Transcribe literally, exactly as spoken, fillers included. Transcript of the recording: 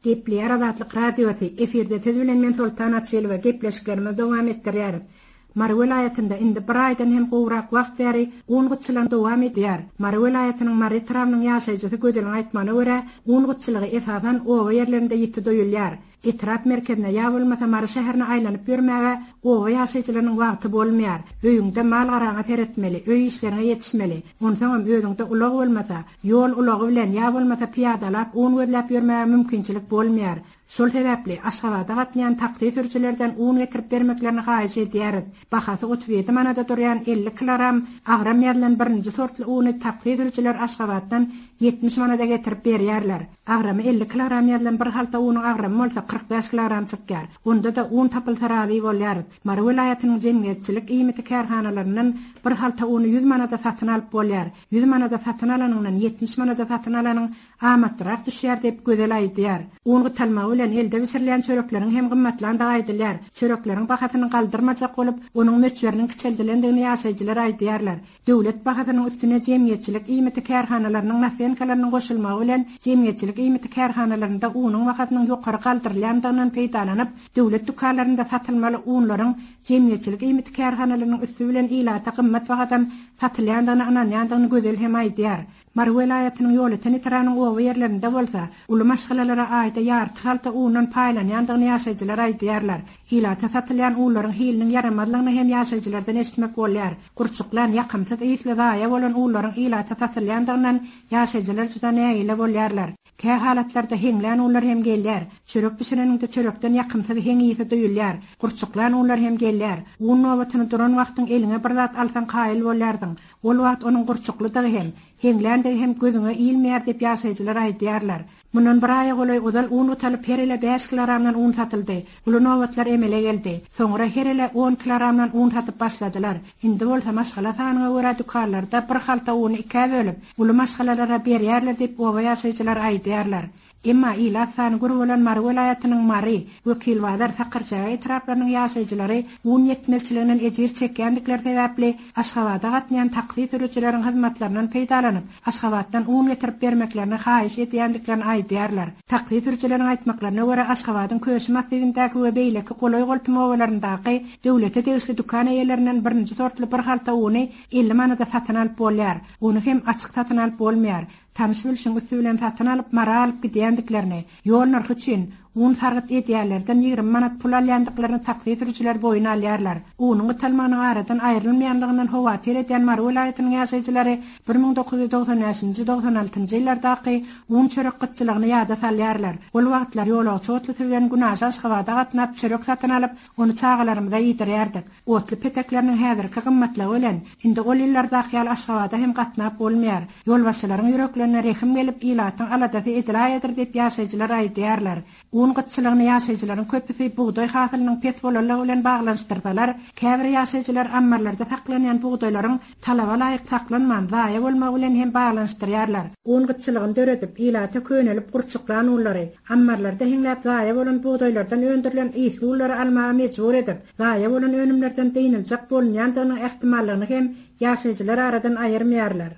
Gepleýär Azatlyk Radiosy, efirde siz bilen men Soltan Açylowa gepleşiklerimizi dowam etdirýäris. Mary welaýatynda indi bir aýdan hem gowrak wagt bäri un gytçylygy dowam edýär. Mary welaýatynyň Mary etrabynyň ýaşaýjysy Gözeliň aýtmagyna görä, un gytçylygy esasan oba ýerlerinde ýiti duýulýar. Etrap merkezine ýa bolmasa Mary şäherine aýlanyp ýörmäge oba ýaşaýjylarynyň wagty bolmaýar. Öýüňde mal-garaňa seretmeli, öý işlerine ýetişmeli. Onsoňam özüňde ulag bolmasa, ýol ulagy bilen ýa bolmasa piýadalap un gözläp ýörmäge mümkinçilik bolmaýar. Şol sebäpli Aşgabada gatnaýan taksi sürüjilerden un getirip bermeklerini haýyş edýäris. Bahasy otuz ýedi manada durýan elli kilogram agram ýazylan birinji sortly uny taksi sürüjiler Aşgabatdan ýetmiş manada getirip berýärler. Agramy elli kilogram ýazylan bir halta unuň agramy bolsa kyrk bäş kilogram çykýar. Onda-da un tapylsa razy bolýarys. Mary welaýatynyň jemgyýetçilik iýmiti kärhanalaryndan bir halta uny ýüz manada satyn alyp bolýar. Ýüz manada satyn alanyňdan ýetmiş manada satyn alanyň amatlyrak düşýär diýip Gözel aýdýar. Un gytalmagy bilen elde bişirilýän çörekleriň hem gymmatlandygy aýdylýar. Çörekleriň bahasyny galdyrmajak bolup, onuň möçberiniň kiçeldilendigini ýaşaýjylar aýdýarlar. Döwlet bahasynyň üstüne jemgyýetçilik iýmiti kärhanalarynyň nasenkalarynyn goşulmagy bilen jemgyýetçilik iýmiti kärhanalarynda unuň bahasynyň ýokary galdyrylýandygyndan peýdalanyp, döwlet dükanlarynda satylmaly unlaryň jemgyýetçilik iýmiti kärhanalarynyň üstü bilen ilata gymmat bahadan satylýandygyna ynanýandygyny Gözel hem aýdýar. Mary welaýatynyň Ýolöten etrabynyň oba ýerlerinde bolsa, uly maşgalalara aýda ýarty halta undan paýlanýandygyny ýaşaýjylar aýdýarlar. Ilata satylýan unlaryň hiliniň ýaramazlygyny hem ýaşaýjylardan eşitmek bolýar. Gurçuklan, ýakymsyz ysly zaýa bolan unlaryň ilata satylýandygyndan ýaşaýjylar juda nägile bolýarlar. Kä halatlarda heňlän unlar hem gelýär. Çörek bişireniňde çörekden ýakymsyz heň ysy duýulýar. Gurçuklan unlar hem gelýär. Un nobatyny duran wagtyň eliňe bir zat alsaň kaýyl bolýardyň. Ol wagt onuň gurçuklydygy hem, heňländigi hem gözüňe ilmeýär diýip ýaşaýjylar aýdýarlar. Mundan bir aýa golaý ozal un gutalyp her ele bäş kilogramdan un satyldy. Uly nobatlar emele geldi. Soňra her ele on kilogramdan un satyp başladylar. Indi bolsa maşgala sanyna görä dükanlarda bir halta uny ikä bölüp, uly maşgalalara berýärler diýip oba ýaşaýjylar aýdýarlar. Emma ilat sany gür bolan Mary welaýatynyň Mary, Wekilbazar, Sakarçäge etraplarynyň ýaşaýjylary un ýetmezçiliginden ejir çekýändikleri sebäpli Aşgabada gatnaýan taksi sürüjileriň hyzmatlaryndan peýdalanyp, Aşgabatdan un getirip bermeklerini haýyş edýändiklerini aýdýarlar. Taksi sürüjileriň aýtmaklaryna görä Aşgabadyň Köşi massiwindäki we beýleki golaý goltum obalaryndaky döwlete degişli dükan eýelerinden birinji sortly bir halta uny elli manada satyn alyp bolýar. Ony hem açyk satyn alyp bolmaýar. Tanyş bilşiň üstü bilen satyn alyp Mara alyp gidýändiklerini, ýol nyrhy üçin un sargyt edýärlerden ýigrimi manat pul alýandyklaryny taksi sürüjiler boýun alýarlar. Unuň gytalmagynyň aradan aýrylmaýanlygyndan howatyr edýän Mary welaýatynyň ýaşaýjylary bir müň dokuz ýüz doksan bäşinji, doksan altynjy ýyllardaky un çörek gytçylygyny ýada salýarlar. Ol wagtlar ýolagçy otlusy bilen Günaşa Aşgabada gatnap çörek satyn alyp, ony çagalarymyza ýetirýärdik. Otly petekleriniň häzirki gymmatlygy bilen indi ol ýyllardaky ýaly Aşgabada hem gatnap bolmaýar. Ýolbaşçylaryň ýüreklerine rehim gelip, ilatyň aladasy edilaýadyr diýip ýaşaýjylar aýdýarlar. Un gytçylygyny ýaşaýjylaryň köpüsi bugdaý hasylynyň pes bolanlygy bilen baglanyşdyrsalar, käbir ýaşaýjylar ammarlarda saklanýan bugdaýlaryň talaba laýyk saklanman, zaýa bolmagy bilen hem baglanyşdyrýarlar. Un gytçylygyny döredip, ilata könelip gurçuklan unlary, ammarlarda heňläp zaýa bolan bugdaýlardan öndürilen ysly unlary almaga mejbur edip, zaýa bolan önümlerden dynyljak bolunýandygynyň ähtimallygyny hem ýaşaýjylar aradan aýyrmaýarlar.